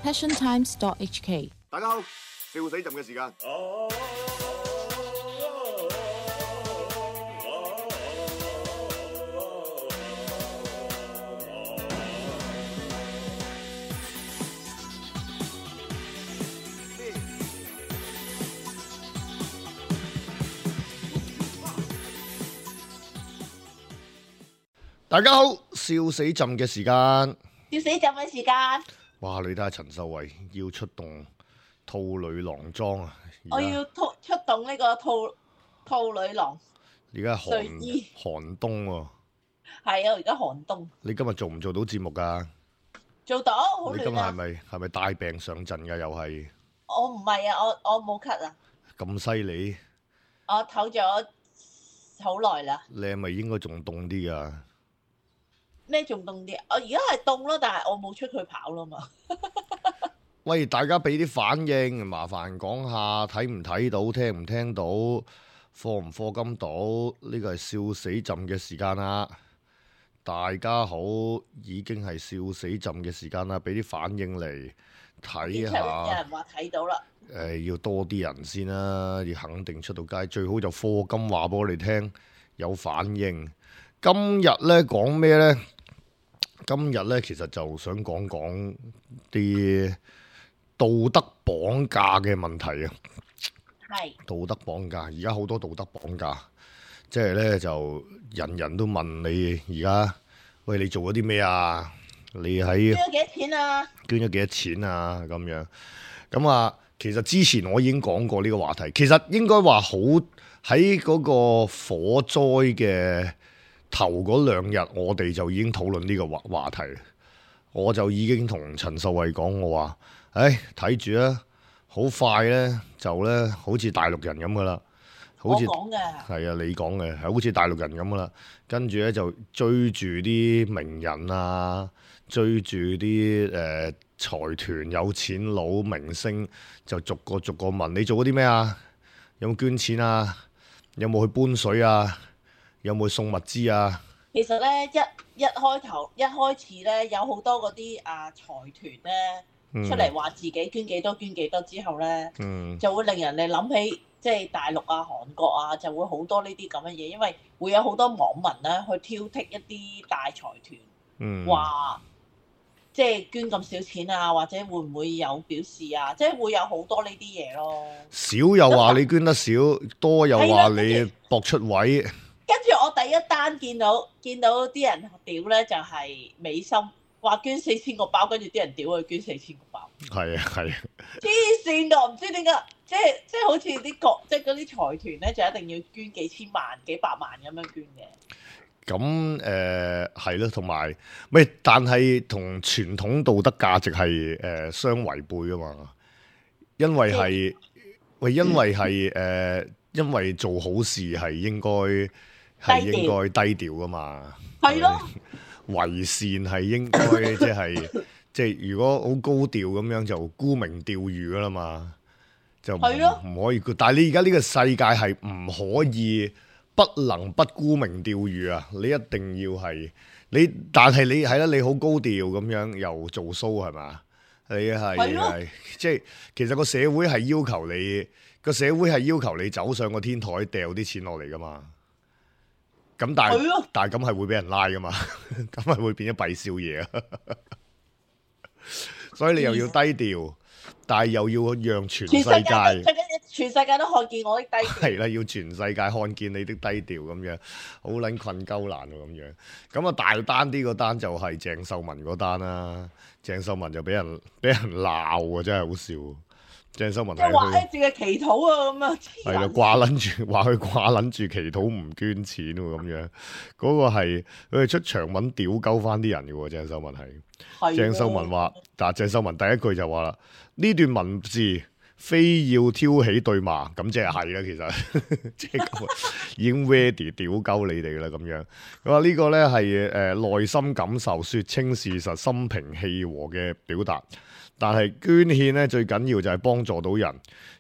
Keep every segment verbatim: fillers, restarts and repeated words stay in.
passion times dot h k。 大家好，笑死朕嘅時間。大家好，笑死朕嘅時間。笑死朕嘅時間。哇！你睇下陳秀慧要出動兔女郎裝啊！我要出出動呢個兔兔女郎。而家寒睡衣寒冬喎、係啊，而家寒冬。你今日做唔做到節目㗎？做到，好你今日係亂啊！咪係咪帶病上陣㗎？又係我唔係啊，我我冇咳啊，咁犀利？我唞咗好耐啦。你係咪應該仲凍啲㗎？咩仲凍啲？我而家係凍咯，但係我冇出去跑啦嘛。喂，大家俾啲反應，麻煩講下睇唔睇到，聽唔聽到，課唔課金到？呢個係笑死朕嘅時間啦！大家好，已經係笑死朕嘅時間啦，俾啲反應嚟睇有下。人話睇到啦。誒、呃，要多啲人先啦，要肯定出到街，最好就課金話俾我哋聽，有反應。今日呢講咩呢？今日呢其實就想講講啲道德綁架嘅問題啊。係。道德綁架，而家好多道德綁架，即係呢就人人都問你而家，喂，你做咗啲咩啊？你喺捐咗幾多錢啊？捐咗幾多錢啊？咁樣咁啊，其實之前我已經講過呢個話題，其實應該話好喺嗰個火災嘅頭嗰兩日，我哋就已經討論呢個話話題。我就已經同陳秀慧講，我話，唉，睇住啊，好快呢，就呢，好似大陸人咁噶啦，好似我講嘅。係啊，你講嘅係好似大陸人咁噶啦，跟住呢，就追住啲名人啊，追住啲誒財團、有錢佬、明星，就逐個逐個問你做咗啲咩啊？有冇捐錢啊？有冇去搬水啊？有冇去送物資啊？其實咧，一一開頭一開始咧，有好多嗰啲啊財團咧、嗯、出嚟話自己捐幾多捐幾多之後咧，嗯、就會令人哋諗起即係大陸啊、韓國啊，就會好多呢啲咁嘅嘢，因為會有好多網民咧去挑剔一啲大財團，話、嗯、即係捐咁少錢啊，或者會唔會有表示啊，即係會有好多呢啲嘢咯。少又話你捐得少，多又話你博出位。跟住我第一單見到見到啲人屌咧，就係美心話捐四千個包，跟住啲人屌佢捐四千個包。係啊係啊，黐線㗎，唔知點解，即係即係好似啲國即係嗰啲財團咧，就一定要捐幾千萬、幾百萬咁樣捐嘅。咁誒係咯，同埋咪但係同傳統道德價值係誒、呃、相違背㗎嘛，因為係喂，因為係誒、呃，因為做好事係應該。係應該低調噶嘛，係咯，為善係應該即係即係如果好高調咁樣就沽名釣譽噶啦嘛，就唔唔可以。但係你而家呢個世界係唔可以不能不沽名釣譽啊！你一定要係你，但係你係啦，你好高調咁樣又做 show 係嘛？你係係即係其實個社會係要求你個社會係要求你走上個天台掉啲錢落嚟噶嘛。咁但係，但係咁係會俾人拉噶嘛？咁係會變咗弊少爺啊！所以你又要低調，但係又要讓全世界，全世界，全世界都看見我的低調。係啦，要全世界看見你的低調咁樣，好撚困鳩難喎咁樣。咁啊大單啲嗰單就係鄭秀文嗰單啦。鄭秀文就俾人俾人鬧啊，真係好笑。鄭秀文係話誒，淨係祈禱啊咁啊，係啦，掛撚住話佢掛撚住祈禱唔捐錢喎咁樣，嗰、那個係佢係出長文屌鳩翻啲人嘅喎。鄭秀文係，鄭秀文話，但係鄭秀文第一句就話啦，呢段文字非要挑起對罵，咁即係係啦，其實即係已經 ready 屌鳩你哋啦咁樣。佢話呢個咧係誒內心感受，説清事實，心平氣和嘅表達。但係捐獻咧最緊要就係幫助到人。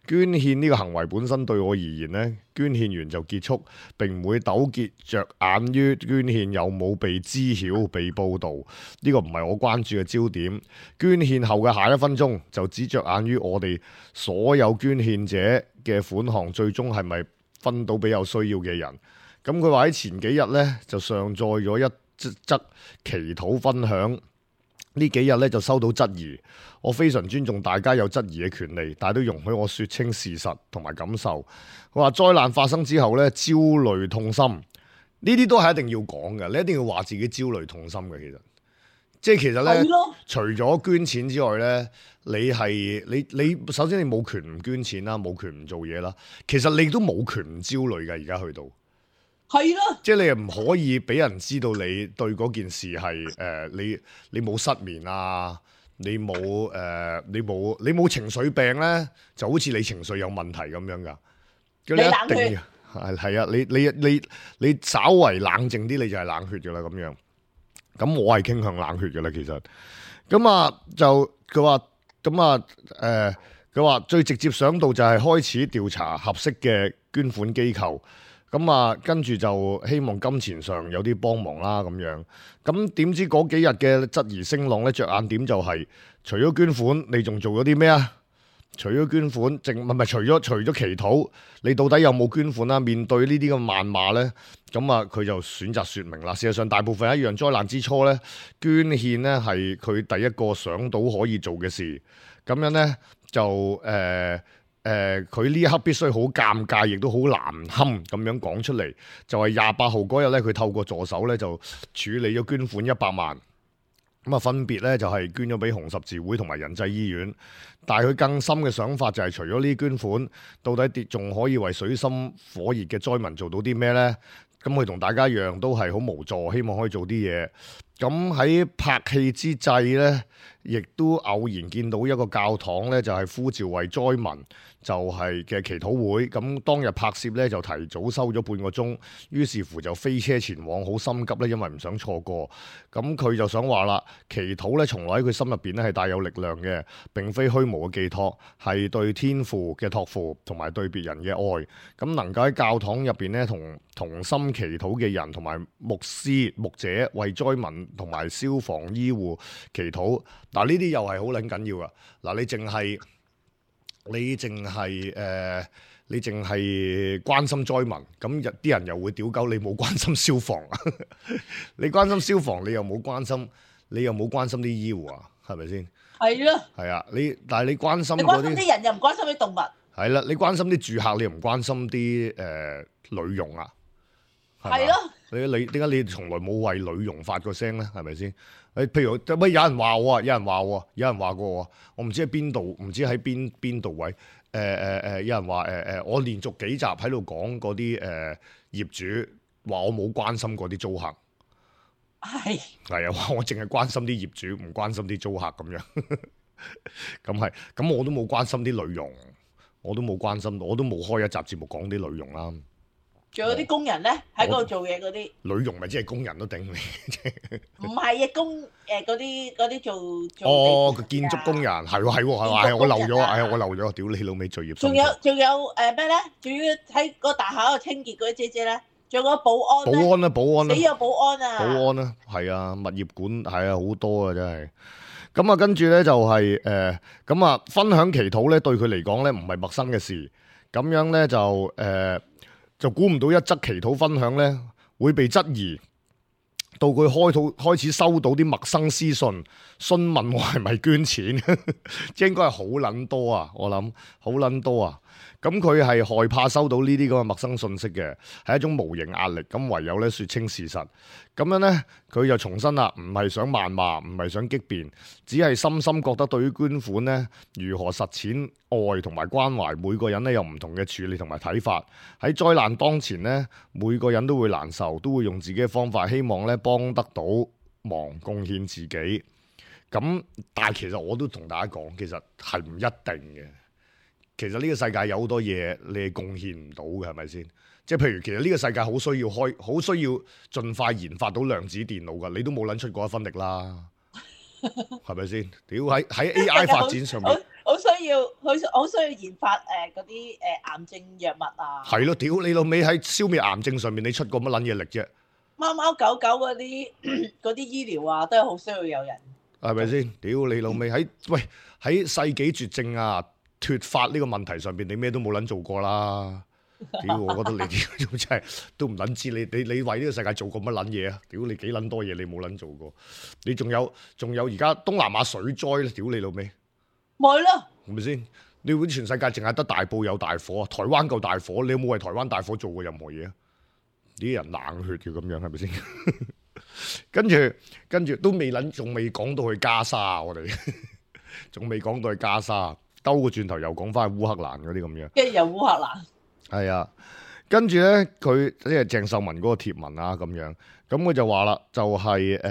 捐獻呢個行為本身對我而言咧，捐獻完就結束，並唔會糾結着眼於捐獻有冇被知曉、被報導。呢個唔係我關注嘅焦點。捐獻後嘅下一分鐘就只着眼於我哋所有捐獻者嘅款項最終係咪分到俾有需要嘅人。咁佢話喺前幾日呢，就上載咗一則祈禱分享。呢幾日咧就收到質疑，我非常尊重大家有質疑嘅權利，但係都容許我説清事實同埋感受。佢話災難發生之後咧，焦慮痛心，呢啲都係一定要講嘅，你一定要話自己焦慮痛心嘅。其實，即係其實咧，的除咗捐錢之外咧，你係你你首先你冇權唔捐錢啦，冇權唔做嘢啦。其實你都冇權唔焦慮嘅，而家去到。係咯，即係你又唔可以俾人知道你對嗰件事係誒、呃、你你冇失眠啊，你冇誒、呃、你冇你冇情緒病咧，就好似你情緒有問題咁樣噶。你一定係係啊，你你你你稍為冷靜啲，你就係冷血噶啦咁樣。咁我係傾向冷血噶啦，其實。咁啊就佢話咁啊誒，佢話最直接想到就係開始調查合適嘅捐款機構。咁啊，跟住就希望金錢上有啲幫忙啦，咁樣。咁點知嗰幾日嘅質疑聲浪咧，着眼點就係、是、除咗捐款，你仲做咗啲咩啊？除咗捐款，淨唔係唔係除咗除咗祈禱，你到底有冇捐款啊？面對呢啲嘅謾罵咧，咁啊，佢就選擇説明啦。事實上，大部分一樣災難之初咧，捐獻咧係佢第一個想到可以做嘅事。咁樣咧就誒。呃誒佢呢一刻必須好尷尬，亦都好難堪咁樣講出嚟。就係廿八號嗰日咧，佢透過助手咧就處理咗捐款一百萬。咁啊，分別咧就係、是、捐咗俾紅十字會同埋仁濟醫院。但係佢更深嘅想法就係、是，除咗呢啲捐款，到底跌仲可以為水深火熱嘅災民做到啲咩呢？咁佢同大家一樣都係好無助，希望可以做啲嘢。咁喺拍戲之際呢，亦都偶然見到一個教堂呢，就係、是、呼召為災民就係嘅祈禱會。咁當日拍攝呢，就提早收咗半個鐘，於是乎就飛車前往，好心急呢，因為唔想錯過。咁佢就想話啦，祈禱呢，從來喺佢心入邊呢係帶有力量嘅，並非虛無嘅寄託，係對天父嘅託付同埋對別人嘅愛。咁能夠喺教堂入邊呢，同同心祈禱嘅人同埋牧師牧者為災民同埋消防醫護祈禱，嗱呢啲又係好撚緊要噶。嗱你淨係你淨係誒，你淨係關心災民，咁啲人又會屌鳩你冇關心消防。你關心消防，你又冇關心，你又冇關心啲醫護啊？係咪先？係咯。係啊，你但係你關心嗰啲，你關心啲人又唔關心啲動物。係啦，你關心啲住客，你又唔關心啲誒女傭啊？係咯，你你點解你從來冇為女傭發過聲咧？係咪先？誒，譬如乜有人話我啊，有人話我，有人話過我，我唔知喺邊度，唔知喺邊邊度位。誒誒誒，有人話誒誒，我連續幾集喺度講嗰啲誒業主話我冇關心過啲租客。係係啊，話我淨係關心啲業主，唔關心啲租客咁樣。咁係，咁我都冇關心啲女傭，我都冇關心，我都冇開一集節目講啲女傭啦。仲有啲工人咧，喺嗰度做嘢嗰啲女傭咪即係工人都頂你，唔係啊工誒嗰啲嗰啲做做哦個建築工人係喎係喎係喎，我漏咗啊！係啊我漏咗，屌你老味罪孽！仲有仲有誒咩咧？仲要喺個大廈度清潔嗰啲姐姐咧，仲有個保安保安啊保安啊死有保安啊保安啊係啊物業管係啊好多啊真係。咁啊跟住咧就係誒咁啊分享祈禱咧對佢嚟講咧唔係陌生嘅事，咁樣咧就誒。呃就估唔到一則祈禱分享咧會被質疑，到佢開到開始收到啲陌生私信，詢問我係咪捐錢，即係應該係好撚多啊！我諗好撚多啊！咁佢係害怕收到呢啲咁嘅陌生信息嘅，係一種無形壓力。咁唯有咧説清事實。咁樣咧，佢就重申啦，唔係想謾罵，唔係想激辯，只係深深覺得對於捐款咧，如何實踐愛同埋關懷，每個人咧有唔同嘅處理同埋睇法。喺災難當前咧，每個人都會難受，都會用自己嘅方法，希望咧幫得到忙，貢獻自己。咁但係其實我都同大家講，其實係唔一定嘅。其實呢個世界有好多嘢你係貢獻唔到嘅，係咪先？即係譬如其實呢個世界好需要開，好需要盡快研發到量子電腦㗎，你都冇撚出過一分力啦，係咪先？屌喺喺 A I 發展上面，好需要，好好需要研發誒嗰啲誒癌症藥物啊。係咯，屌你老味喺消滅癌症上面，你出過乜撚嘢力啫？貓貓狗狗嗰啲嗰啲醫療啊，都係好需要有人。係咪先？屌你老味喺喂喺世紀絕症啊脫髮呢個問題上邊，你咩都冇撚做過啦。屌，我覺得你屌真係都唔撚知你你你為呢個世界做過乜撚嘢啊？屌你幾撚多嘢你冇撚做過？你仲有仲有而家東南亞水災咧？屌你老味，咪咯，係咪先？你會全世界淨係得大埔有大火啊？台灣夠大火，你有冇為台灣大火做過任何嘢啊？啲人冷血嘅咁樣係咪先？跟住跟住都未撚，仲未講到去加沙，我哋仲未講到去加沙，兜個轉頭又講翻去烏克蘭嗰啲咁樣。跟住又烏克蘭。係啊，跟住咧佢即係鄭秀文嗰個貼文啊咁樣，咁佢就話啦，就係誒誒誒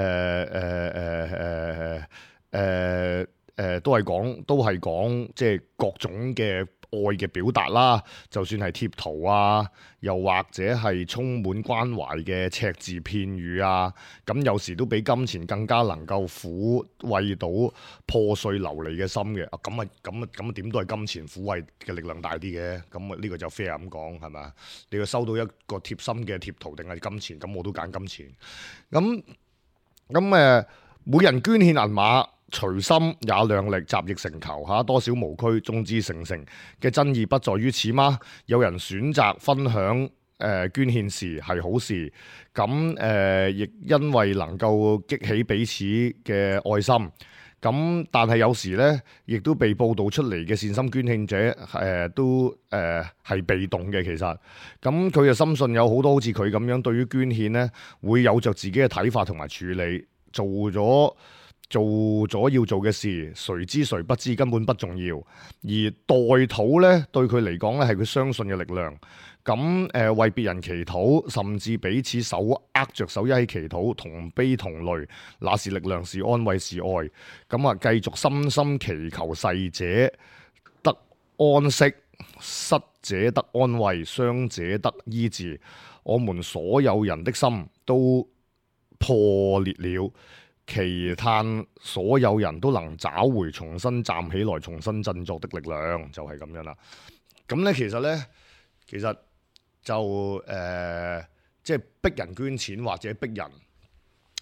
誒誒誒都係講都係講即係各種嘅愛嘅表達啦，就算係貼圖啊，又或者係充滿關懷嘅隻字片語啊，咁有時都比金錢更加能夠撫慰到破碎流離嘅心嘅。啊，咁啊，咁啊，咁啊，點都係金錢撫慰嘅力量大啲嘅。咁啊，呢個就 fair 咁講係咪？你要收到一個貼心嘅貼圖定係金錢？咁我都揀金錢。咁咁誒，每人捐獻銀碼，隨心也量力，集腋成裘嚇，多少無拘，眾志成城嘅真義不在於此嗎？有人選擇分享誒、呃、捐獻時係好事，咁誒亦因為能夠激起彼此嘅愛心。咁但係有時咧，亦都被報導出嚟嘅善心捐獻者誒、呃、都誒係、呃、被動嘅。其實咁佢就深信有好多好似佢咁樣，對於捐獻咧會有着自己嘅睇法同埋處理，做咗。做咗要做嘅事，誰知誰不知，根本不重要。而代禱呢，對佢嚟講呢係佢相信嘅力量。咁誒、呃、為別人祈禱，甚至彼此手握着手一起祈禱，同悲同淚，那是力量，是安慰，是愛。咁啊，繼續深深祈求逝者得安息，失者得安慰，傷者得醫治。我們所有人的心都破裂了。祈嘆所有人都能找回重新站起來、重新振作的力量，就係、是、咁樣啦。咁咧，其實咧，其實就誒，即、呃、係、就是、逼人捐錢或者逼人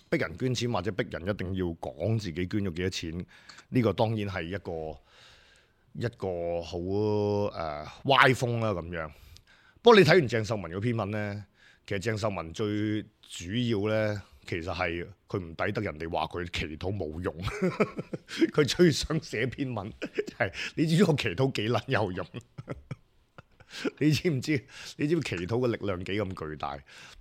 逼人捐錢或者逼人一定要講自己捐咗幾多錢，呢、這個當然係一個一個好誒、呃、歪風啦咁樣。不過你睇完鄭秀文嗰篇文咧，其實鄭秀文最主要咧。其實係佢唔抵得人哋話佢祈禱冇用，佢最想寫篇文係你知唔知我祈禱幾撚有用？你知唔知？你知唔知祈禱嘅力量幾咁巨大？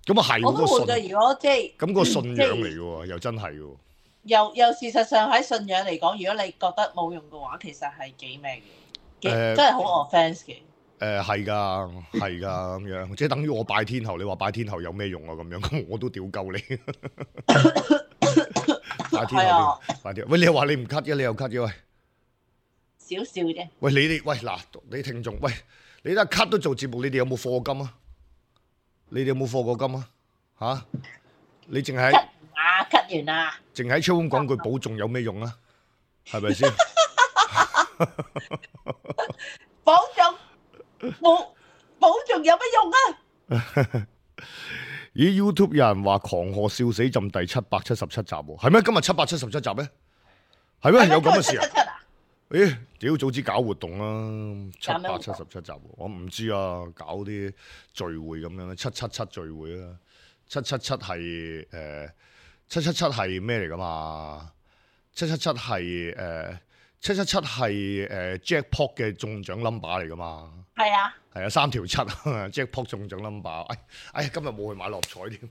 咁啊係嗰個信，如果即係咁個信仰嚟嘅喎，又真係嘅喎。又又事實上喺信仰嚟講，如果你覺得冇用嘅話，其實係幾咩嘅？誒，真係好 offense 嘅。誒係㗎，係㗎咁樣，即係等於我拜天后，你話拜天后有咩用啊？咁樣，咁我都屌鳩你。拜天后，拜天后，喂，你又話你唔 cut 嘅，你又 cut 嘅喂。少少啫。喂，你哋喂嗱，你聽眾喂，你得 cut 都做節目，你哋有冇課金啊？你哋有冇課過金啊？嚇？你淨係 cut 啊 cut 完啦。淨喺超咁講句保重有咩用啊？係咪先？保重。冇保重有乜用啊？咦 YouTube 有人話狂賀笑死朕第七百七十七集喎，係咩？今日七百七十七集咩？係咩？有咁嘅事啊？咦，屌早知搞活動啦，七百七十七集，我唔知啊，搞啲聚會咁樣咧，七七七聚會啦，七七七係誒，七七七係咩嚟噶嘛？七七七係誒，七七七係誒 Jackpot 嘅中獎 number 嚟噶嘛？係啊，係啊，三條七，Jackpot 中獎 number。哎，哎，今日冇去買六合彩添，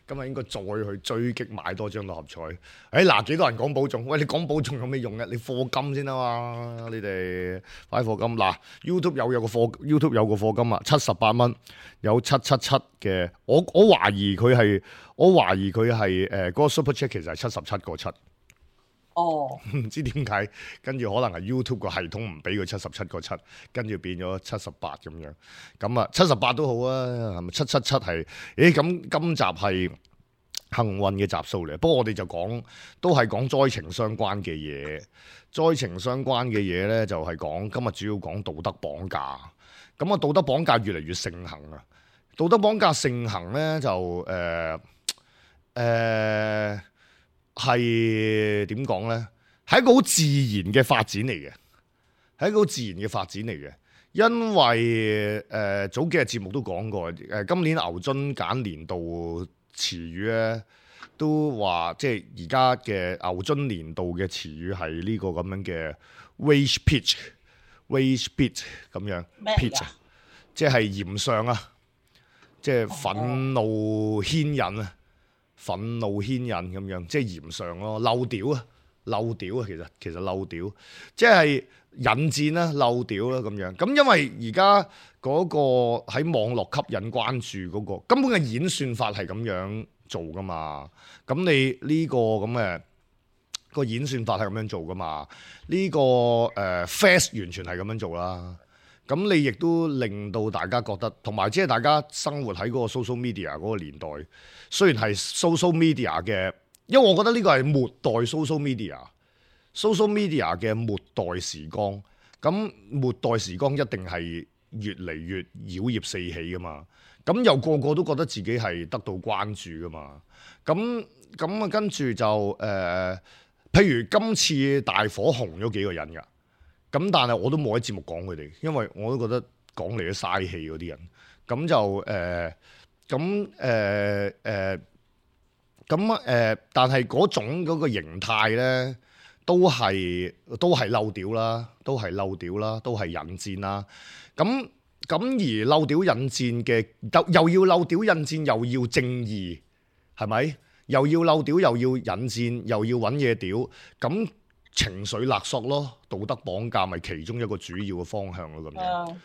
今日應該再去追擊買多張六合彩。哎，嗱，幾多人講保重？喂，你講保重有咩用嘅？你課金先啊嘛，你哋快課金。嗱 ，YouTube 有有個課 ，YouTube 有個課金啊，七十八蚊，有七七七嘅。我我懷疑佢係，我懷疑佢係誒嗰個 Super Chat 其實係七十七個七。哦，唔知點解，跟住可能係 YouTube 個系統唔俾佢七十七個七，跟住變咗七十八咁樣。咁啊，七十八都好啊，係咪七七七係？誒咁今集係幸運嘅集數嚟。不過我哋就講都係講災情相關嘅嘢，災情相關嘅嘢咧就係講今日主要講道德綁架。咁啊，道德綁架越嚟越盛行啊！道德綁架盛行咧就誒誒係點講咧？係一個好自然嘅發展嚟嘅，係一個好自然嘅發展嚟嘅。因為誒、呃、早幾日節目都講過，誒、呃、今年牛津揀年度詞語咧，都話即係而家嘅牛津年度嘅詞語係呢個咁樣嘅 rage pitch，rage pitch 咁樣 pitch，即係炎上啊，即係憤怒牽引啊，憤怒牽引咁樣，即係炎上咯，漏屌啊，漏屌啊，其實其實漏屌，即係引戰啦，漏屌啦咁樣。咁因為而家嗰個喺網絡吸引關注嗰個根本嘅演算法係咁樣做噶嘛，咁你呢個咁嘅個演算法係咁樣做噶嘛，呢個誒 Face 完全係咁樣做啦。咁你亦都令到大家覺得，同埋即係大家生活喺嗰個 social media 嗰個年代，雖然係 social media 嘅，因為我覺得呢個係末代 social media，social media 嘅末代時光。咁末代時光一定係越嚟越妖孽四起噶嘛。咁又個個都覺得自己係得到關注噶嘛。咁咁啊，跟住就誒、呃，譬如今次大火紅咗幾個人㗎。咁但係我都冇喺節目講佢哋，因為我都覺得講嚟都嘥氣嗰啲人。咁就誒，咁誒誒，咁誒，但係嗰種嗰個形態咧，都係都係漏屌啦，都係漏屌啦，都係引戰啦。咁咁而漏屌引戰嘅，又要漏屌引戰，又要正義，係咪？又要漏屌，又要引戰，又要揾嘢屌，咁。情緒勒索咯，道德綁架咪其中一個主要嘅方向咯，咁樣。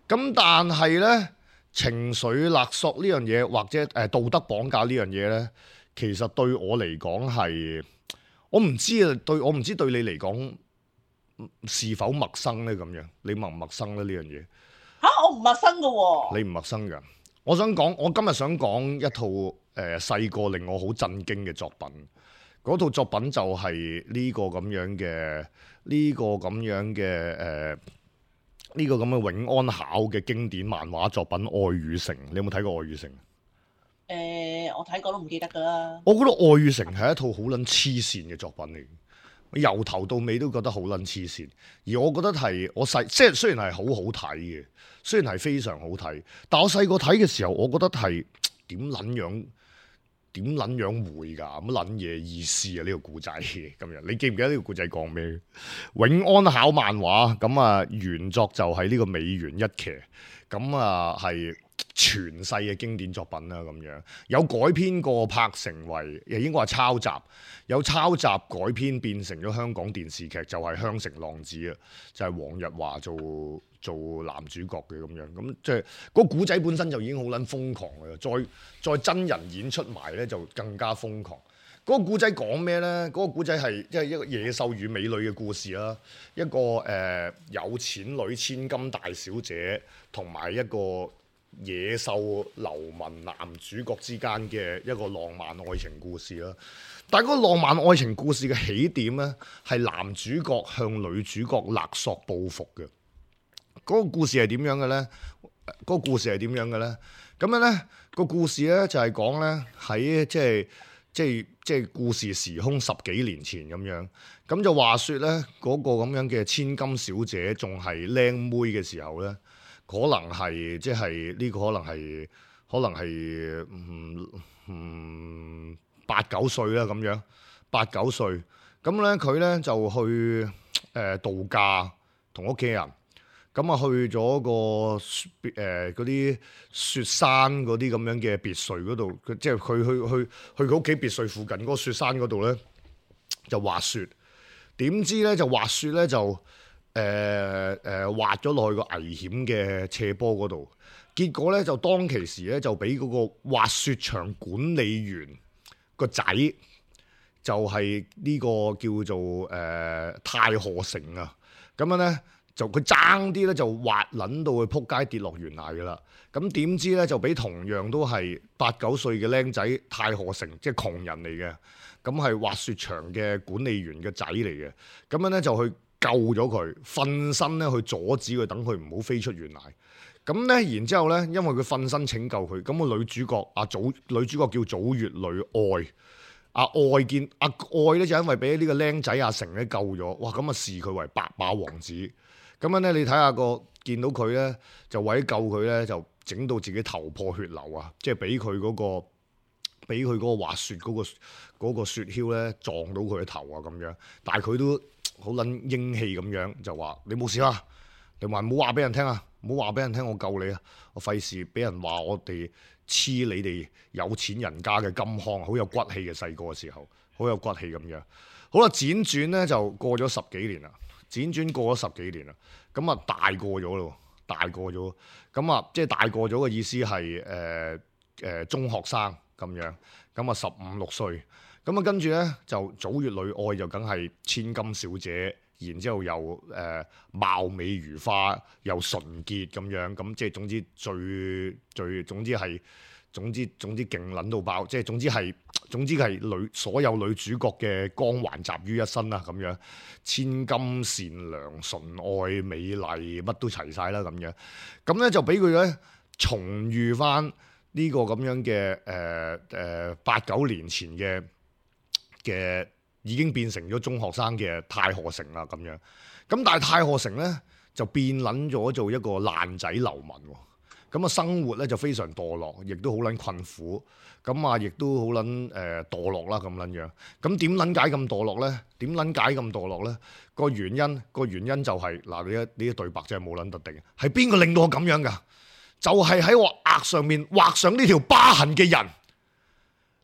咁、嗯、但係咧，情緒勒索呢樣嘢，或者誒、呃、道德綁架呢樣嘢咧，其實對我嚟講係，我唔知啊，對我唔知對你嚟講是否陌生咧？咁樣，你陌唔陌生咧呢樣嘢？嚇、啊，我唔陌生噶喎、哦。你唔陌生㗎？我想講，我今日想講一套誒細個令我好震驚嘅作品。嗰套作品就係呢個咁樣嘅，呢、這個咁樣嘅誒，呢、這個咁嘅永安考嘅經典漫畫作品《愛與誠》，你有冇睇過《愛與誠》？誒、呃，我睇過都唔記得㗎啦。我覺得《愛與誠》係一套好撚黐線嘅作品嚟，由頭到尾都覺得好撚黐線。而我覺得係我細，即係雖然係好好睇嘅，雖然係非常好睇，但我細個睇嘅時候，我覺得係點撚樣？點撚樣會㗎？乜撚嘢意思啊？呢、這個故仔咁樣，你記唔記得呢個故仔講咩？永安考漫畫咁啊，原作就係呢個美原一騎，咁啊係傳世嘅經典作品啦。咁樣有改編過，拍成為又應該話抄襲，有抄襲改編變成咗香港電視劇，就係、是《香城浪子》啊，就係、是、黃日華做。做男主角嘅咁樣，咁即係嗰個古仔本身就已經好撚瘋狂嘅，再再真人演出埋咧就更加瘋狂。嗰、那個古仔講咩咧？嗰、那個古仔係即係一個野獸與美女嘅故事啦，一個誒、呃、有錢女千金大小姐同埋一個野獸流民男主角之間嘅一個浪漫愛情故事啦。但係嗰個浪漫愛情故事嘅起點咧，係男主角向女主角勒索報復嘅。嗰個故事係點樣嘅咧？嗰個故事係點樣嘅咧？咁樣咧，個故事咧就係講咧喺即係即係即係故事時空十幾年前咁樣。咁就話説咧，嗰個咁樣嘅千金小姐仲係靚妹嘅時候咧，可能係即係呢個可能係可能係嗯嗯八九歲啦咁樣，八九歲。咁咧佢咧就去誒、呃、度假，同屋企人。咁啊去咗個誒嗰啲雪山嗰啲咁樣嘅別墅嗰度，即係佢去去去佢屋企別墅附近嗰個雪山嗰度咧，就滑雪。點知咧就滑雪咧就誒誒、呃呃、滑咗落去個危險嘅斜坡嗰度，結果咧就當其時咧就俾嗰個滑雪場管理員個仔，就係、是、呢個叫做誒、呃、太賀成啊，咁樣咧。就佢爭啲咧就滑撚到佢撲街跌落懸崖噶啦。咁點知咧就俾同樣都係八九歲嘅僆仔太賀成，即係窮人嚟嘅，咁係滑雪場嘅管理員嘅仔嚟嘅，咁樣咧就去救咗佢，瞓身咧去阻止佢，等佢唔好飛出懸崖。咁咧，然之後咧，因為佢瞓身拯救佢，咁個女主角阿祖，女主角叫祖月女愛，阿愛見阿愛咧就因為俾呢個僆仔阿成咧救咗，哇！咁啊視佢為白馬王子。咁樣咧，你睇下個見到佢咧，就為咗救佢咧，就整到自己頭破血流啊！即係俾佢嗰個，俾佢嗰個滑雪嗰、嗰個嗰個雪橇咧撞到佢嘅頭啊咁樣。但係佢都好撚英氣咁樣，就話你冇事啊，你話唔好話俾人聽啊！唔好話俾人聽，我救你啊！我費事俾人話我哋黐你哋有錢人家嘅金腔，好有骨氣嘅細個嘅時候，好有骨氣咁樣。好啦，輾轉咧就過咗十幾年啦，輾轉過咗十幾年啦，咁啊大個咗咯，大個咗，咁啊即係大個咗嘅意思係誒誒中學生咁樣，咁啊十五六歲，咁啊跟住咧就祖月女愛就梗係千金小姐。然之後又誒、呃、貌美如花，又純潔咁樣，咁即係總之最最總之係總之總之勁撚到爆，即係總之係總之係女所有女主角嘅光環集於一身啦咁樣，千金善良、純愛、美麗，乜都齊晒啦咁樣，咁咧就俾佢咧重遇翻呢個咁樣嘅誒誒八九年前嘅嘅。已經變成咗中學生嘅太賀成啦咁樣，咁但係太賀成咧就變撚咗做一個爛仔流民喎，咁啊生活咧就非常墮落，亦都好撚困苦，咁啊亦都好撚誒墮落啦咁撚樣。咁點撚解咁墮落咧？點撚解咁墮落咧？個原因個原因就係、是、嗱，你一呢啲對白真係冇撚特定，係邊個令到我咁樣㗎？就係、是、喺我額上面畫上呢條疤痕嘅人，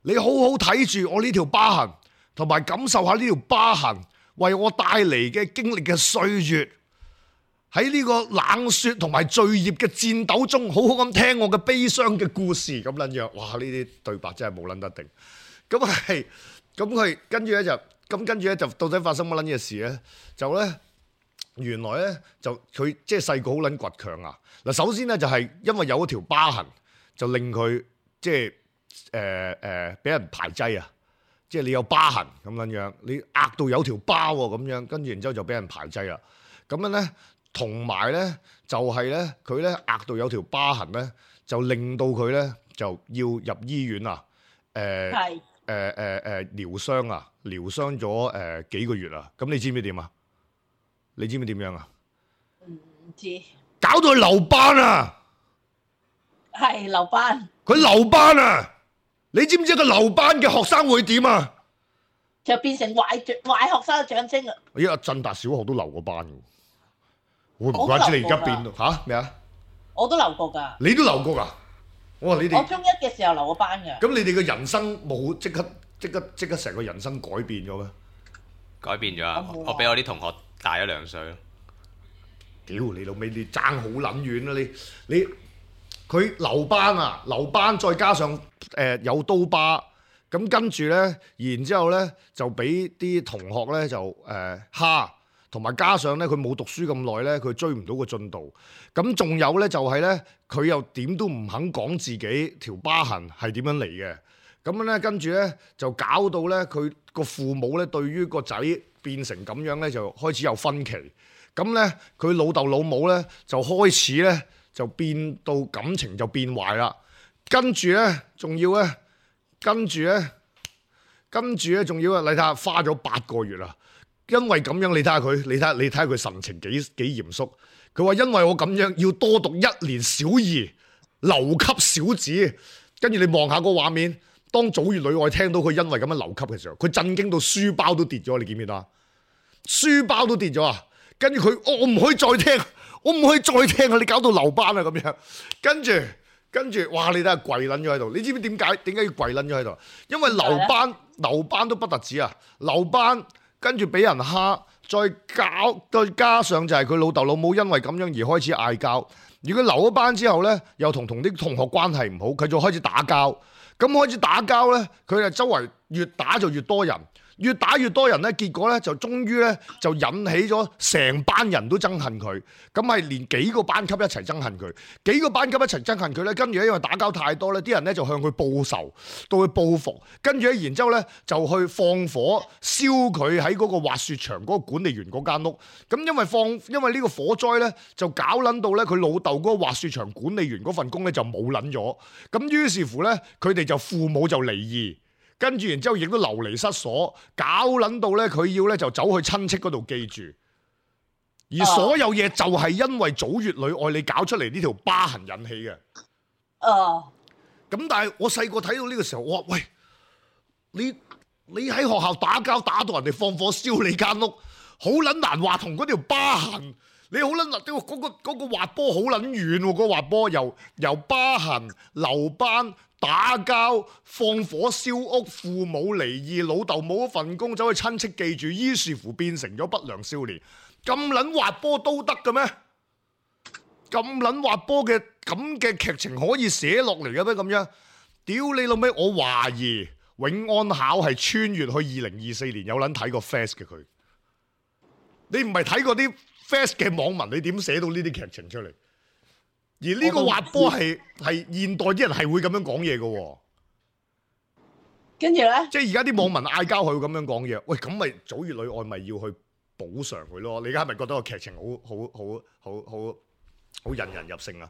你好好睇住我呢條疤痕。同埋感受下呢條疤痕為我帶嚟嘅經歷嘅歲月，喺呢個冷雪同埋罪孽嘅戰鬥中，好好咁聽我嘅悲傷嘅故事咁撚樣。哇！呢啲對白真係冇撚得定。咁係，咁佢跟住咧就，咁跟住咧就到底發生乜撚嘢事咧？就咧原來咧就佢即係細個好撚倔強啊！嗱，首先咧就係因為有一條疤痕，就令佢即係誒誒俾人排擠啊！即係你有疤痕咁樣樣，你額度有條疤喎咁樣，跟住然之後就俾人排擠啦。咁樣咧，同埋咧就係咧，佢咧額度有條疤痕咧，就令到佢咧就要入醫院啊。誒係誒誒誒療傷啊，療傷咗誒、呃、幾個月啊。咁你知唔知點啊？你知唔知點樣啊？唔知。搞到佢留班啊！係留班。佢留班啊！你知唔知個留班嘅學生會點啊？就變成壞壞學生嘅象徵啊！咦，阿振達小學都留過班嘅，會唔怪之你而家變嚇咩啊？我都留過㗎。你都留過㗎？我話你哋。我中一嘅時候留過班㗎。咁你哋嘅人生冇即刻即刻即刻成個人生改變咗咩？改變咗啊！我比我啲同學大咗兩歲咯。屌你老味，你爭好撚遠啊！你你。佢留班啊，留班再加上誒、呃、有刀疤，咁跟住咧，然之後咧就俾啲同學咧就誒蝦，同、呃、埋加上咧佢冇讀書咁耐咧，佢追唔到個進度。咁仲有咧就係咧，佢又點都唔肯講自己條疤痕係點樣嚟嘅。咁樣咧跟住咧就搞到咧佢個父母咧對於個仔變成咁樣咧就開始有分歧。咁咧佢老豆老母咧就開始咧。就變到感情就變壞啦，跟住咧，仲要咧，跟住咧，跟住咧，仲要啊！你睇下，花咗八個月啦，因為咁樣，你睇下佢，你睇下，你睇下佢神情幾幾嚴肅。佢話因為我咁樣要多讀一年小二，留級小子。跟住你望下個畫面，當祖月女愛聽到佢因為咁樣留級嘅時候，佢震驚到書包都跌咗，你見唔見啊？書包都跌咗啊！跟住佢，我唔可以再聽。我唔可以再聽啊！你搞到留班啊咁樣，跟住跟住，哇！你睇下跪撚咗喺度，你知唔知點解？點解要跪撚咗喺度？因為留班留班都不特止啊！留班跟住俾人蝦，再搞再加上就係佢老豆老母因為咁樣而開始嗌交。如果留咗班之後咧，又同同啲同學關係唔好，佢就開始打交。咁開始打交咧，佢就周圍越打就越多人。越打越多人咧，結果咧就終於咧就引起咗成班人都憎恨佢，咁係連幾個班級一齊憎恨佢，幾個班級一齊憎恨佢咧，跟住咧因為打交太多咧，啲人咧就向佢報仇，到佢報復，跟住咧然之後咧就去放火燒佢喺嗰個滑雪場嗰個管理員嗰間屋，咁因為放因為呢個火災咧就搞撚到咧佢老豆嗰個滑雪場管理員嗰份工咧就冇撚咗，咁於是乎咧佢哋就父母就離異。跟住然之後亦都流離失所，搞撚到咧佢要咧就走去親戚嗰度寄住，而所有嘢就係因為祖乙女愛你搞出嚟呢條疤痕引起嘅。哦，咁但係我細個睇到呢個時候，我話喂，你你喺學校打交打到人哋放火燒你間屋，好撚難話同嗰條疤痕。你好撚嗱，嗰、嗰個嗰、嗰個滑波好撚遠喎，嗰個滑波由由疤痕、留班、打交、放火燒屋、父母離異、老豆冇一份工，走去親戚記住，於是乎變成咗不良少年。咁撚滑波都得嘅咩？咁撚滑波嘅咁嘅劇情可以寫落嚟嘅咩？咁樣，屌你老味！我懷疑永安考係穿越去二零二四年，有撚睇過 Fast 嘅佢。你唔係睇過啲 Fast 嘅網民，你點寫到呢啲劇情出嚟？而呢個滑波係係現代啲人係會咁樣講嘢嘅喎。跟住咧，即係而家啲網民嗌交，佢會咁樣講嘢。喂，咁咪祖乙女愛咪要去補償佢咯？你而家係咪覺得個劇情好好好好好好引人入勝啊？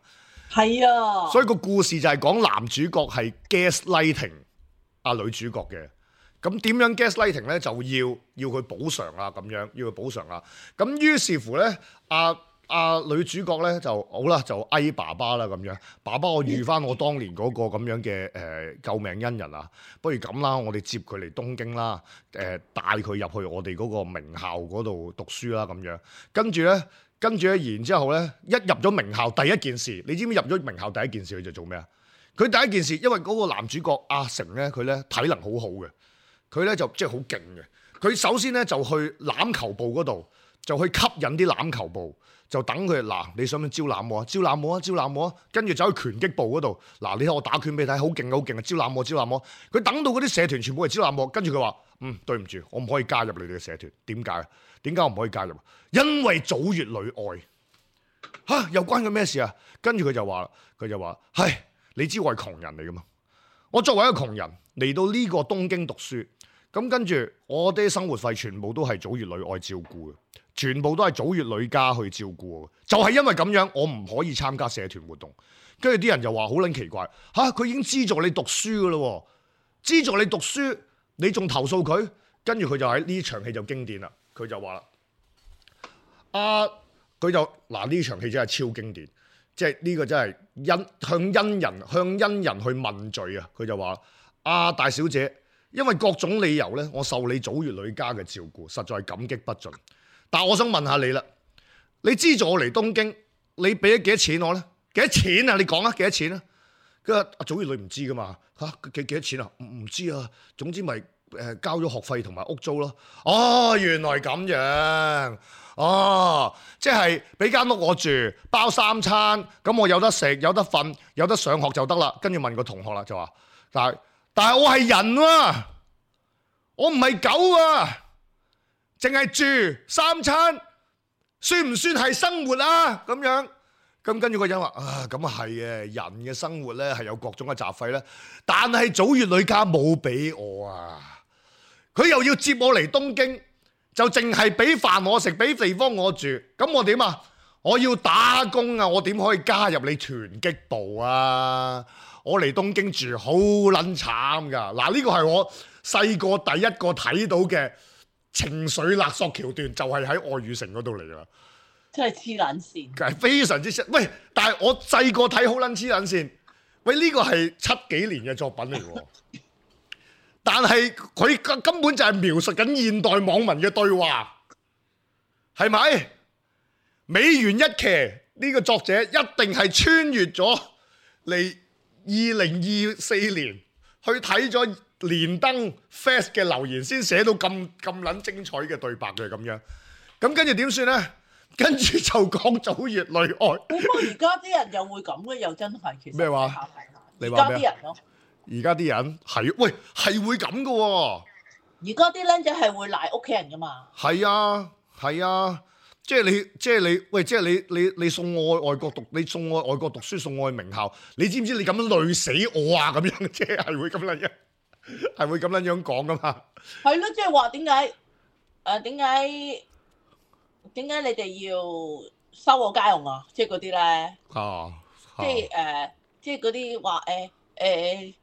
係啊。所以個故事就係講男主角係 gaslighting 啊女主角嘅。咁點樣 gaslighting 咧？就要要佢補償啊，咁樣要佢補償啊。咁於是乎咧，阿、啊、阿、啊、女主角咧就好啦，就哀爸爸啦咁樣。爸爸，我遇翻我當年嗰個咁樣嘅誒、呃、救命恩人啊！不如咁啦，我哋接佢嚟東京啦，誒、呃、帶佢入去我哋嗰個名校嗰度讀書啦咁樣。跟住咧，跟住咧，然之後咧，一入咗名校，第一件事，你知唔知入咗名校第一件事佢就做咩啊？佢第一件事，因為嗰個男主角阿成咧，佢咧體能好好嘅。佢咧就即係好勁嘅，佢首先咧就去欖球部嗰度，就去吸引啲欖球部，就等佢嗱，你想唔想招攬我啊？招攬我啊！招攬我啊！跟住走去拳擊部嗰度，嗱，你睇我打拳俾你睇，好勁好勁啊！招攬我，招攬我。佢等到嗰啲社團全部係招攬我，跟住佢話：嗯，對唔住，我唔可以加入你哋嘅社團。點解？點解我唔可以加入？因為祖乙女愛嚇，又關佢咩事啊？跟住佢就話啦，佢就話：唉，你知我係窮人嚟噶嘛？我作為一個窮人嚟到呢個東京讀書。咁跟住，我啲生活費全部都係祖乙女愛照顧嘅，全部都係祖乙女家去照顧嘅。就係因為咁樣，我唔可以參加社團活動。跟住啲人就話好撚奇怪，嚇、啊、佢已經資助你讀書嘅咯，資助你讀書，你仲投訴佢？跟住佢就喺呢場戲就經典啦，佢就話啦，啊佢就嗱呢場戲真係超經典，即係呢個真係因向恩人向恩人去問罪啊！佢就話啊大小姐。因為各種理由咧，我受你祖乙女家嘅照顧，實在感激不盡。但係我想問下你啦，你資助我嚟東京，你俾咗幾多錢我咧？幾多錢啊？你講啊，幾多錢啊？佢話阿祖乙女唔知噶嘛嚇，幾幾多錢啊？唔唔知啊。總之咪誒交咗學費同埋屋租咯。哦，原來咁樣。哦，即係俾間屋我住，包三餐，咁我有得食，有得瞓，有得上學就得啦。跟住問個同學啦，就話但係。但係我係人喎、啊，我唔係狗啊，淨係住三餐，算唔算係生活啊？咁樣，咁跟住個人話啊，咁啊係嘅，人嘅生活咧係有各種嘅雜費咧，但係祖乙女家冇俾我啊，佢又要接我嚟東京，就淨係俾飯我食，俾地方我住，咁我點啊？我要打工啊，我點可以加入你拳擊部啊？我嚟東京住好撚慘噶，嗱呢個係我細個第一個睇到嘅情緒勒索橋段，就係喺愛與誠嗰度嚟噶，真係黐撚線，係非常之喂！但係我細個睇好撚黐撚線，喂呢個係七幾年嘅作品嚟喎，但係佢根本就係描述緊現代網民嘅對話，係咪？美元一騎呢個作者一定係穿越咗嚟。二零二四年去睇咗連登 Fast 嘅留言，先寫到咁咁撚精彩嘅對白嘅咁樣。咁跟住點算咧？跟住就講祖乙女愛。不過而家啲人又會咁嘅，又真係其實咩話？你話咩？而家啲人咯，而家啲人係喂係會咁嘅喎。而嗰啲僆仔係會賴屋企人噶嘛？係啊，係啊，即係你，即係你，喂，即係你，你你送我去外國讀，你送我去外國讀書，送我去名校，你知唔知你咁樣累死我啊？咁樣即係係會咁樣，係會咁樣樣講噶嘛？係咯，即係話點解？誒點解？點解你哋要收我家用啊？即係嗰啲咧，啊，即係誒，即係嗰啲話誒誒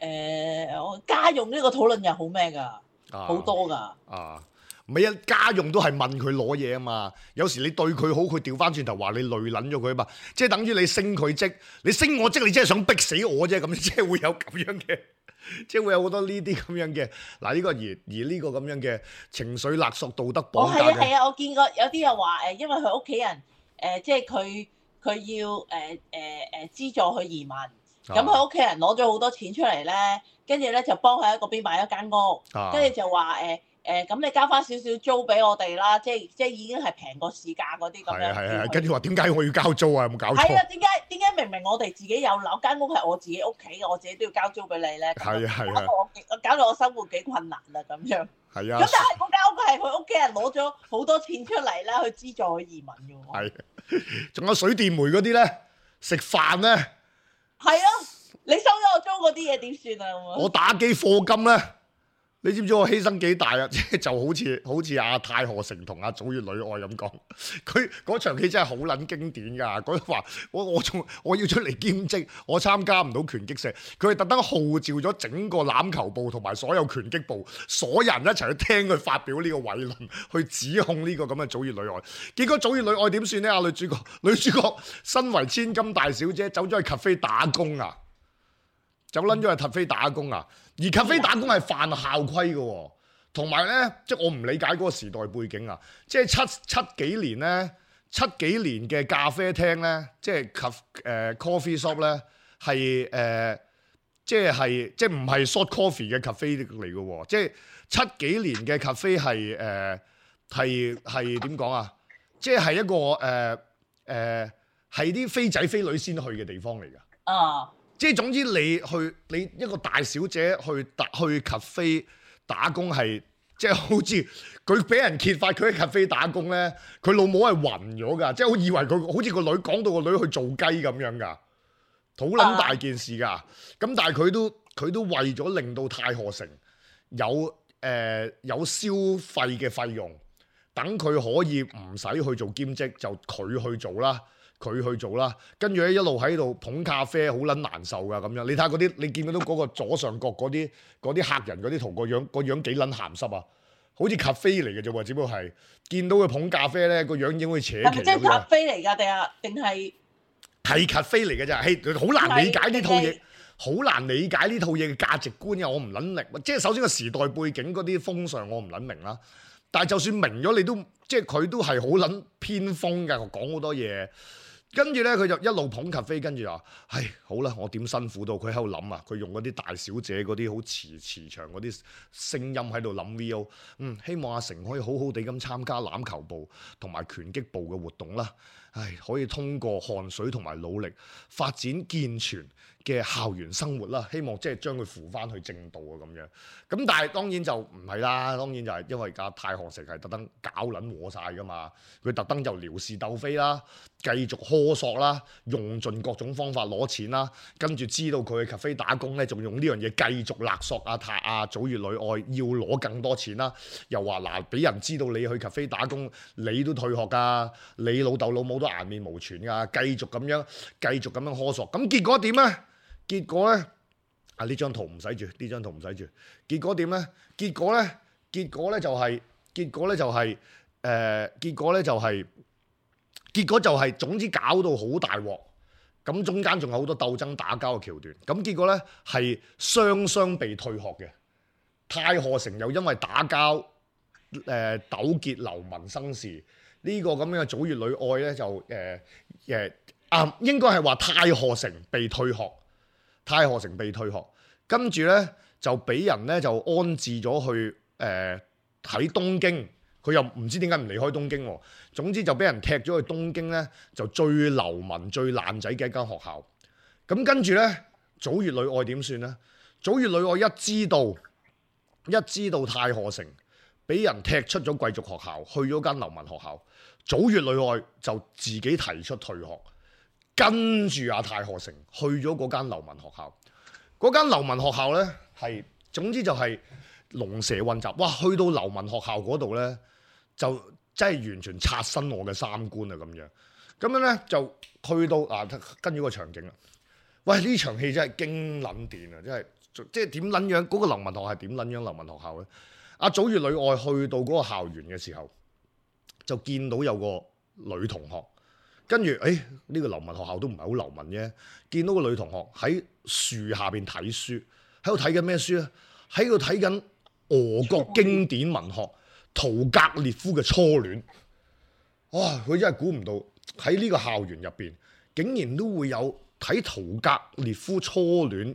誒，我家用呢個討論又好咩㗎？好多㗎。啊，唔係啊，家用都係問佢攞嘢啊嘛。有時你對佢好，佢調翻轉頭話你累撚咗佢啊嘛。即係等於你升佢職，你升我職，你真係想逼死我啫。咁即係會有咁樣嘅，即係會有好多呢啲咁樣嘅。嗱，呢個而而呢個咁樣嘅情緒勒索、道德綁架嘅。哦，係啊係啊，我見過有啲又話誒，因為佢屋企人誒，即係佢佢要誒誒誒資助佢移民。咁佢屋企人攞咗好多錢出嚟咧，跟住咧就幫佢喺嗰邊買一間屋，跟住、啊、就話誒誒，咁、呃、你交翻少少租俾我哋啦，即係即係已經係平過市價嗰啲咁樣。係係係，跟住話點解我要交租啊？有冇搞錯？係啊，點解點解明明我哋自己有樓，間屋係我自己屋企，我自己都要交租俾你咧？係啊係啊，搞到我搞到我生活幾困難啊咁樣。係啊。咁但係嗰間屋係佢屋企人攞咗好多錢出嚟咧，去資助佢移民嘅喎。係，仲有水電煤嗰啲咧，食飯咧。係啊。你收咗我租嗰啲嘢點算啊？我打機課金咧，你知唔知我犧牲幾大啊？即係就好似好似阿太賀成同阿祖月女愛咁講，佢嗰場戲真係好撚經典㗎。佢話我我仲我要出嚟兼職，我參加唔到拳擊社，佢係特登號召咗整個欖球部同埋所有拳擊部所有人一齊去聽佢發表呢個偉論，去指控呢個咁嘅祖月女愛。結果祖月女愛點算呢？阿女主角女主角身為千金大小姐，走咗去 cafe 打工啊！走撚咗去 cafe 打工啊！而 cafe 打工係犯校規嘅喎，同埋咧，即係我唔理解嗰個時代背景啊！即係七七幾年咧，七幾年嘅咖啡廳咧，即係 cafe 誒 coffee shop 咧，係誒即係係即係唔係 short coffee 嘅 cafe 嚟嘅喎，即係七幾年嘅 cafe 係誒係係點講啊？即係係一個誒誒係啲飛仔飛女先去嘅地方嚟㗎。啊！即係總之，你去你一個大小姐去打去 cafe 打工係，即係好似佢俾人揭發佢喺 cafe 打工咧，佢老母係暈咗㗎，即係好以為佢好似個女講到個女去做雞咁樣㗎，好撚大件事㗎。咁但係佢都佢都為咗令到太賀城有誒、呃、有消費嘅費用，等佢可以唔使去做兼職，就佢去做啦。佢去做啦，跟住咧一路喺度捧咖啡，好撚難受噶咁樣。你睇下嗰啲，你見到嗰個左上角嗰啲嗰啲客人嗰啲圖個樣，個樣幾撚鹹濕啊！好似咖啡嚟嘅啫喎，只不過係見到佢捧咖啡咧，個樣已經好似扯旗咁樣。係咪即係咖啡嚟㗎？定係定係係咖啡嚟嘅啫？係好難理解呢套嘢，好難理解呢套嘢嘅價值觀啊！我唔撚明，即係首先個時代背景嗰啲風尚我唔撚明啦。但係就算明咗，你都即係佢都係好撚偏鋒㗎，講好多嘢。跟住咧，佢就一路捧咖啡，跟住話：唉，好啦，我點辛苦到佢喺度諗啊！佢用嗰啲大小姐嗰啲好慈慈祥嗰啲聲音喺度諗 V O。嗯，希望阿成可以好好地咁參加欖球部同埋拳擊部嘅活動啦。唉，可以通過汗水同埋努力發展健全嘅校園生活啦。希望即係將佢扶翻去正道啊咁樣。咁但係當然就唔係啦，當然就係因為阿太賀城係特登搞撚和晒噶嘛。佢特登就撩事鬥非啦，繼續苛索啦，用盡各種方法攞錢啦。跟住知道佢去 cafe 打工咧，仲用呢樣嘢繼續勒索阿太阿祖月女愛要攞更多錢啦。又話嗱，俾人知道你去 cafe 打工，你都退學㗎，你老豆老母都顏面無存㗎，繼續咁樣繼續咁樣苛索。咁結果點咧？結果咧，啊呢張圖唔使住，呢張圖唔使住。結果點咧？結果咧，結果咧就係、是，結果咧就係、是，誒、呃，結果咧就係、是，結果就係、是，總之搞到好大鑊。咁中間仲有好多鬥爭打交嘅橋段。咁結果咧係雙雙被退學嘅。太賀城又因為打交，誒、呃、糾結流民生事。呢、這個咁樣嘅祖月女愛咧就誒誒、呃、啊，應該係話太賀城被退學。太賀城被退學，跟住咧就俾人咧就安置咗去誒喺、呃、東京，佢又唔知點解唔離開東京喎。總之就俾人踢咗去東京咧，就最流民最爛仔嘅一間學校。咁跟住咧，祖月女愛點算咧？祖月女愛一知道一知道太賀城俾人踢出咗貴族學校，去咗間流民學校，祖乙女愛就自己提出退學，跟住阿太賀城去咗嗰間流民學校。嗰間流民學校呢，係總之就係龍蛇混雜，哇！去到流民學校嗰度呢，就真係完全刷新我嘅三觀啊！咁樣咁樣呢，就去到啊，跟住個場景啦。喂，呢場戲真係驚撚電啊！真係即係點撚樣？嗰、嗰個流民學校係點撚樣流民學校呢？阿祖乙女愛去到嗰個校園嘅時候，就見到有個女同學，跟住誒呢個流民學校都唔係好流民啫。見到個女同學喺樹下邊睇書，喺度睇緊咩書啊？喺度睇緊俄國經典文學屠格涅夫嘅初戀。哇！佢真係估唔到喺呢個校園入邊，竟然都會有睇屠格涅夫初戀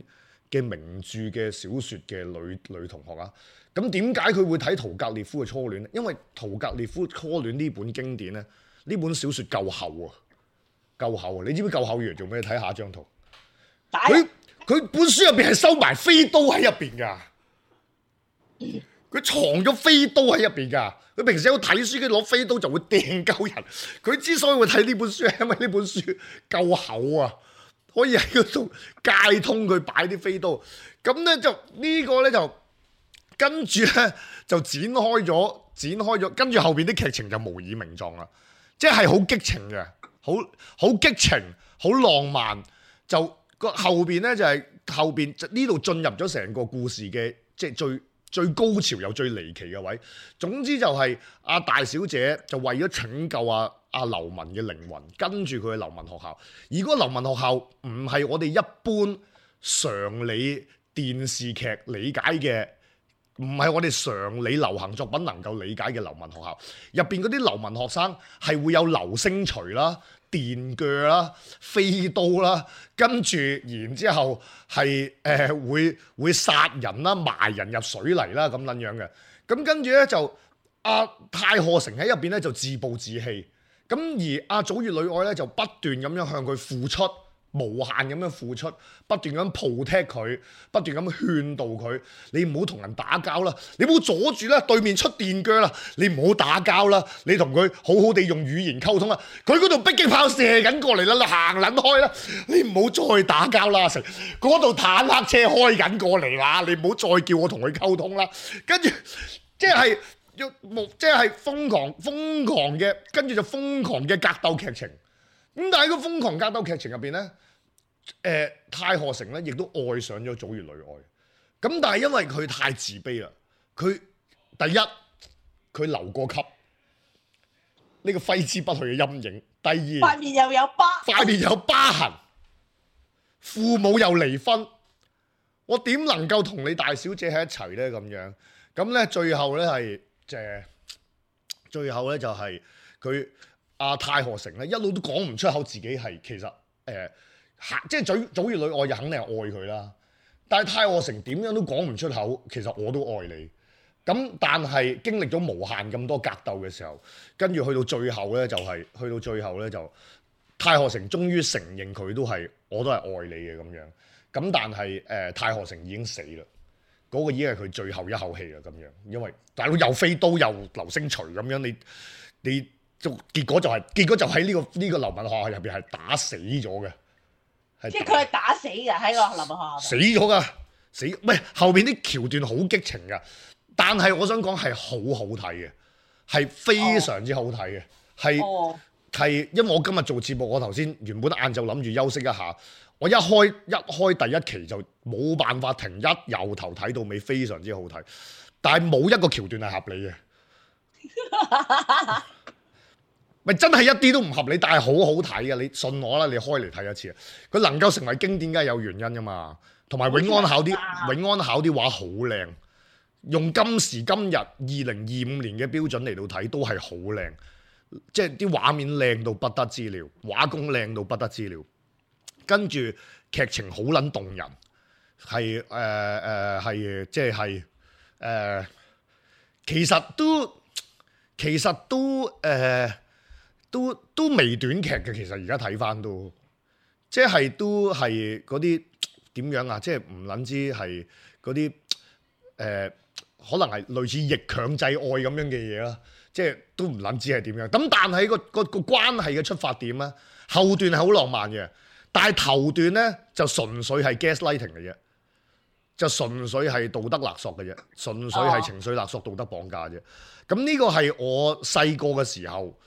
嘅名著嘅小説嘅女女同學啊！咁點解佢會睇屠格涅夫嘅初戀呢？因為屠格涅夫初戀呢本經典咧，呢本小説夠厚啊，夠厚啊！你知唔知夠厚完做咩？睇下張圖，佢佢本書入邊係收埋飛刀喺入邊㗎，佢藏咗飛刀喺入邊㗎。佢平時有睇書，佢攞飛刀就會掟鳩人。佢之所以會睇呢本書，係因為呢本書夠厚啊，可以喺嗰度界通佢擺啲飛刀。咁咧就呢個咧就。跟住咧就展開咗，展開咗，跟住後邊啲劇情就無以名狀啦，即係好激情嘅，好好激情，好浪漫。就個後邊咧就係、是、後邊呢度進入咗成個故事嘅即係最最高潮又最離奇嘅位。總之就係阿大小姐就為咗拯救阿阿流民嘅靈魂，跟住佢去流民學校。而嗰個流民學校唔係我哋一般常理電視劇理解嘅。唔係我哋常理流行作品能夠理解嘅流民學校，入邊嗰啲流民學生係會有流星錘啦、電鋸啦、飛刀啦，跟住然之後係誒、呃、會會殺人啦、埋人入水泥啦咁撚樣嘅。咁跟住咧就阿、啊、太賀城喺入邊咧就自暴自棄，咁而阿祖乙女愛咧就不斷咁樣向佢付出。無限咁樣付出，不斷咁 protect 佢，不斷咁勸導佢。你唔好同人打交啦，你唔好阻住啦，對面出電鋸啦，你唔好打交啦，你同佢好好地用語言溝通啦。佢嗰度迫擊炮射緊過嚟啦，你行撚開啦，你唔好再打交啦。成嗰度坦克車開緊過嚟啦，你唔好再叫我同佢溝通啦。跟住即係要即係瘋狂瘋狂嘅，跟住就瘋狂嘅格鬥劇情。咁但係個瘋狂格鬥劇情入邊咧，誒、呃、太賀城咧亦都愛上咗祖乙女愛。咁但係因為佢太自卑啦，佢第一佢留過級，呢、這個揮之不去嘅陰影。第二塊面又有疤，塊面有疤痕，父母又離婚，我點能夠同你大小姐喺一齊咧？咁樣咁咧，最後咧係即係最後咧就係佢。阿、啊、太賀城咧一路都講唔出口自己係其實誒、呃，即係祖祖乙女愛就肯定係愛佢啦。但係太賀城點樣都講唔出口，其實我都愛你。咁但係經歷咗無限咁多格鬥嘅時候，跟住去到最後咧就係、是、去到最後咧就太賀城終於承認佢都係我都係愛你嘅咁樣。咁但係誒、呃、太賀城已經死啦，嗰、那個已經係佢最後一口氣啦咁樣。因為大佬又飛刀又流星錘咁樣，你你。就結果就係、是、結果就喺呢、這個呢、這個流民學校入邊係打死咗嘅，即係佢係打死嘅喺個流民學校。死咗㗎，死唔係後邊啲橋段好激情㗎，但係我想講係好好睇嘅，係非常之好睇嘅，係係、哦、因為我今日做節目，我頭先原本晏晝諗住休息一下，我一開一開第一期就冇辦法停，一由頭睇到尾，非常之好睇，但係冇一個橋段係合理嘅。咪真係一啲都唔合理，但係好好睇嘅，你信我啦，你開嚟睇一次，佢能夠成為經典，梗係有原因噶嘛。同埋永安考啲永安考啲畫好靚，用今時今日二零二五年嘅標準嚟到睇都係好靚，即係啲畫面靚到不得之了，畫工靚到不得之了，跟住劇情好撚動人，係誒誒係即係誒，其實都其實都誒。呃都都微短劇嘅，其實而家睇翻都，即係都係嗰啲點樣啊？即係唔撚知係嗰啲誒可能係類似逆強制愛咁樣嘅嘢啦，即係都唔撚知係點樣。咁但係個個個關係嘅出發點咧，後段係好浪漫嘅，但係頭段咧就純粹係 gaslighting 嘅啫，就純粹係道德勒索嘅啫，純粹係情緒勒索、道德綁架啫。咁呢個係我細個嘅時候。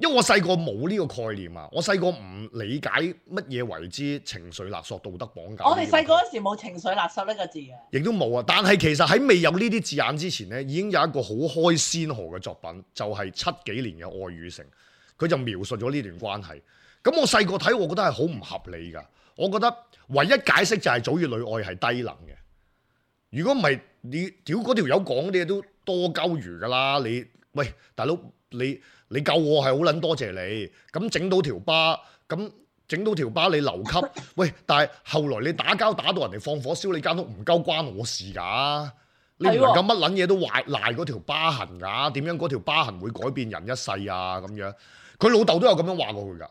因為我細個冇呢個概念啊，我細個唔理解乜嘢為之情緒勒索、道德綁架。我哋細個嗰時冇情緒勒索呢個字嘅，亦都冇啊。但係其實喺未有呢啲字眼之前呢，已經有一個好開先河嘅作品，就係、是、七幾年嘅《愛與誠》，佢就描述咗呢段關係。咁我細個睇，我覺得係好唔合理㗎。我覺得唯一解釋就係祖與女愛係低能嘅。如果唔係，你屌嗰條友講啲嘢都多鳩餘㗎啦。你喂大佬你。你救我係好撚多謝你，咁整到條疤，咁整到條疤你留級，喂！但係後來你打交打到人哋放火燒你間屋，唔鳩關我事㗎，你唔能夠乜撚嘢都壞賴嗰條疤痕㗎，點樣嗰條疤痕會改變人一世啊？咁樣，佢老豆都有咁樣話過佢㗎，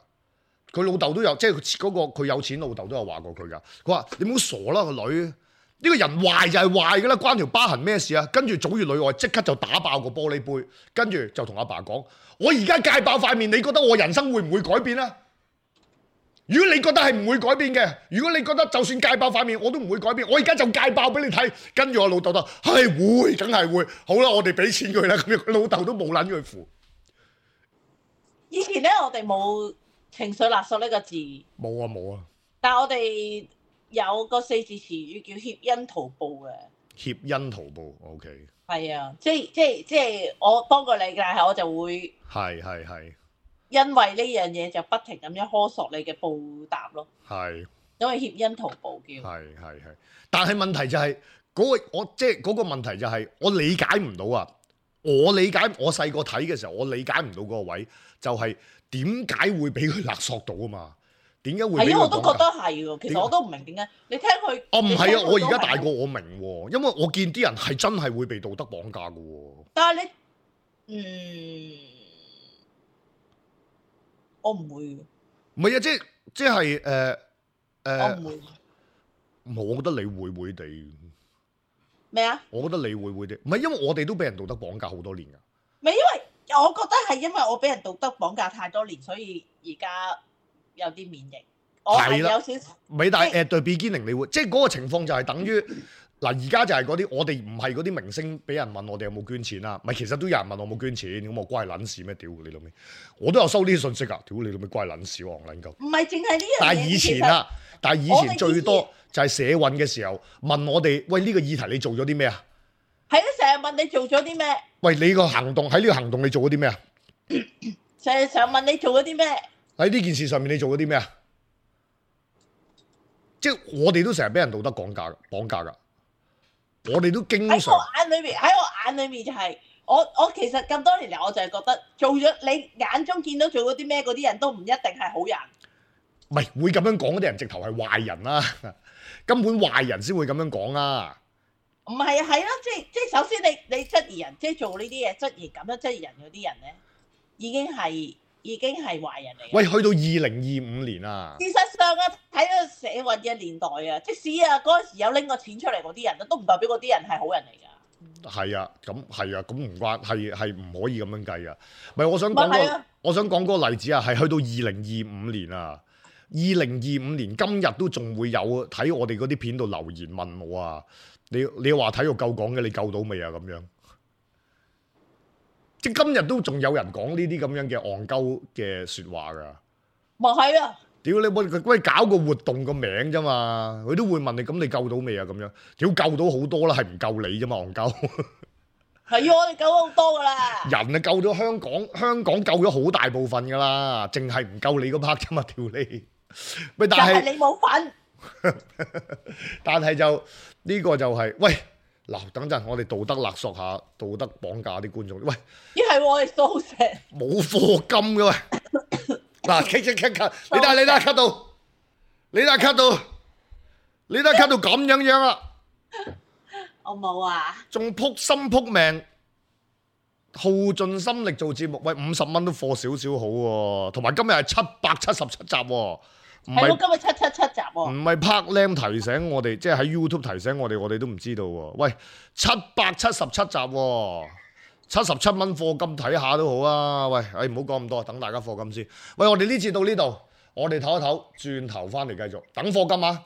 佢老豆都有，即係嗰個佢有錢老豆都有話過佢㗎，佢話你唔好傻啦個女。呢個人壞就係壞㗎啦，關條疤痕咩事啊？跟住祖與女愛即刻就打爆個玻璃杯，跟住就同阿爸講：我而家戒爆塊面，你覺得我人生會唔會改變啊？如果你覺得係唔會改變嘅，如果你覺得就算戒爆塊面我都唔會改變，我而家就戒爆俾你睇。跟住我老豆就係會，梗係會。好啦，我哋俾錢佢啦。咁樣佢老豆都冇撚佢符。以前咧，我哋冇情緒勒索呢個字。冇啊冇啊。但係我哋。有個四字詞語叫協恩圖報嘅，協恩圖報 ，OK。係啊，即係即係即係我幫過你，但係我就會係係係，因為呢樣嘢就不停咁樣苛索你嘅報答咯。係，因為協恩圖報叫。係係係，但係問題就係、是、嗰、那個我即係嗰個問題就係我理解唔到啊！我理解我細個睇嘅時候，我理解唔到嗰個位就係點解會俾佢勒索到啊嘛？點解會？係啊，我都覺得係喎。其實我都唔明點解。你聽佢哦，唔係啊！我而家大個，我明喎。因為我見啲人係真係會被道德綁架嘅喎。但係你，嗯，我唔會。唔係啊，即係即係誒誒，我唔會。我覺得你會會地咩啊？我覺得你會會地，唔係因為我哋都俾人道德綁架好多年㗎。唔係因為我覺得係因為我俾人道德綁架太多年，所以而家。有啲免疫，我係有少少。美大 at the beginning，你會即係嗰個情況就係等於嗱，而家就係嗰啲我哋唔係嗰啲明星，俾人問我哋有冇捐錢啦。唔係，其實都有人問我冇捐錢，咁我關係撚事咩？屌你老味，我都有收呢啲信息啊！屌你老味，關係撚事喎，撚鳩。唔係淨係呢樣嘢。但係以前啊，但係以前最多就係社運嘅時候問我哋，喂呢個議題你做咗啲咩啊？係咯，成日問你做咗啲咩？喂，你個行動喺呢個行動你做咗啲咩啊？成日成日問你做咗啲咩？喺呢件事上面你做咗啲咩啊？即係我哋都成日俾人道德綁架綁架㗎，我哋都經常喺我眼裏面，喺我眼裏面就係、是、我我其實咁多年嚟我就係覺得做咗你眼中見到做咗啲咩嗰啲人都唔一定係好人。唔係會咁樣講嗰啲人直頭係壞人啦、啊，根本壞人先會咁樣講啊。唔係啊，係咯，即係即係首先你你質疑人，即係做呢啲嘢質疑咁樣質疑人嗰啲人咧，已經係。已經係壞人嚟。喂，去到二零二五年啊！事實上啊，睇到社運嘅年代啊，即使啊嗰陣時有拎個錢出嚟嗰啲人，都唔代表嗰啲人係好人嚟㗎。係啊，咁係啊，咁唔關係係唔可以咁樣計㗎。唔係，我想講個，我想講嗰個例子啊，係去到二零二五年啊，二零二五年今日都仲會有睇我哋嗰啲片度留言問我啊，你你話體育夠講嘅，你救到未啊？咁樣。即係今日都仲有人講呢啲咁樣嘅戇鳩嘅説話㗎，咪係啊！屌你冇喂搞個活動個名啫嘛，佢都會問你咁你救到未啊？咁樣屌救到好多啦，係唔救你啫嘛，戇鳩。係啊，我哋救咗好多㗎啦。人啊救咗香港，香港救咗好大部分㗎啦，淨係唔救你嗰 part 啫嘛，屌你！喂，但係你冇份。但係就呢、呢個就係、係、喂。嗱，等陣，我哋道德勒索下，道德綁架啲觀眾。喂，依係我哋掃石，冇課金嘅喂。嗱，咳咳咳咳，你睇你睇咳到，你睇咳到，你睇咳到咁樣樣啦。我冇啊。仲撲心撲命，耗盡心力做節目，喂，五十蚊都課少少好喎。同埋今日係七百七十七集喎，係咯，今日七七七集喎。唔係 Park Lam 提醒我哋，即係喺 YouTube 提醒我哋，我哋都唔知道喎。喂，七百七十七集喎，七十七蚊課金睇下都好啊。喂，誒唔好講咁多，等大家課金先。喂，我哋呢次到呢度，我哋唞一唞，轉頭翻嚟繼續等課金啊！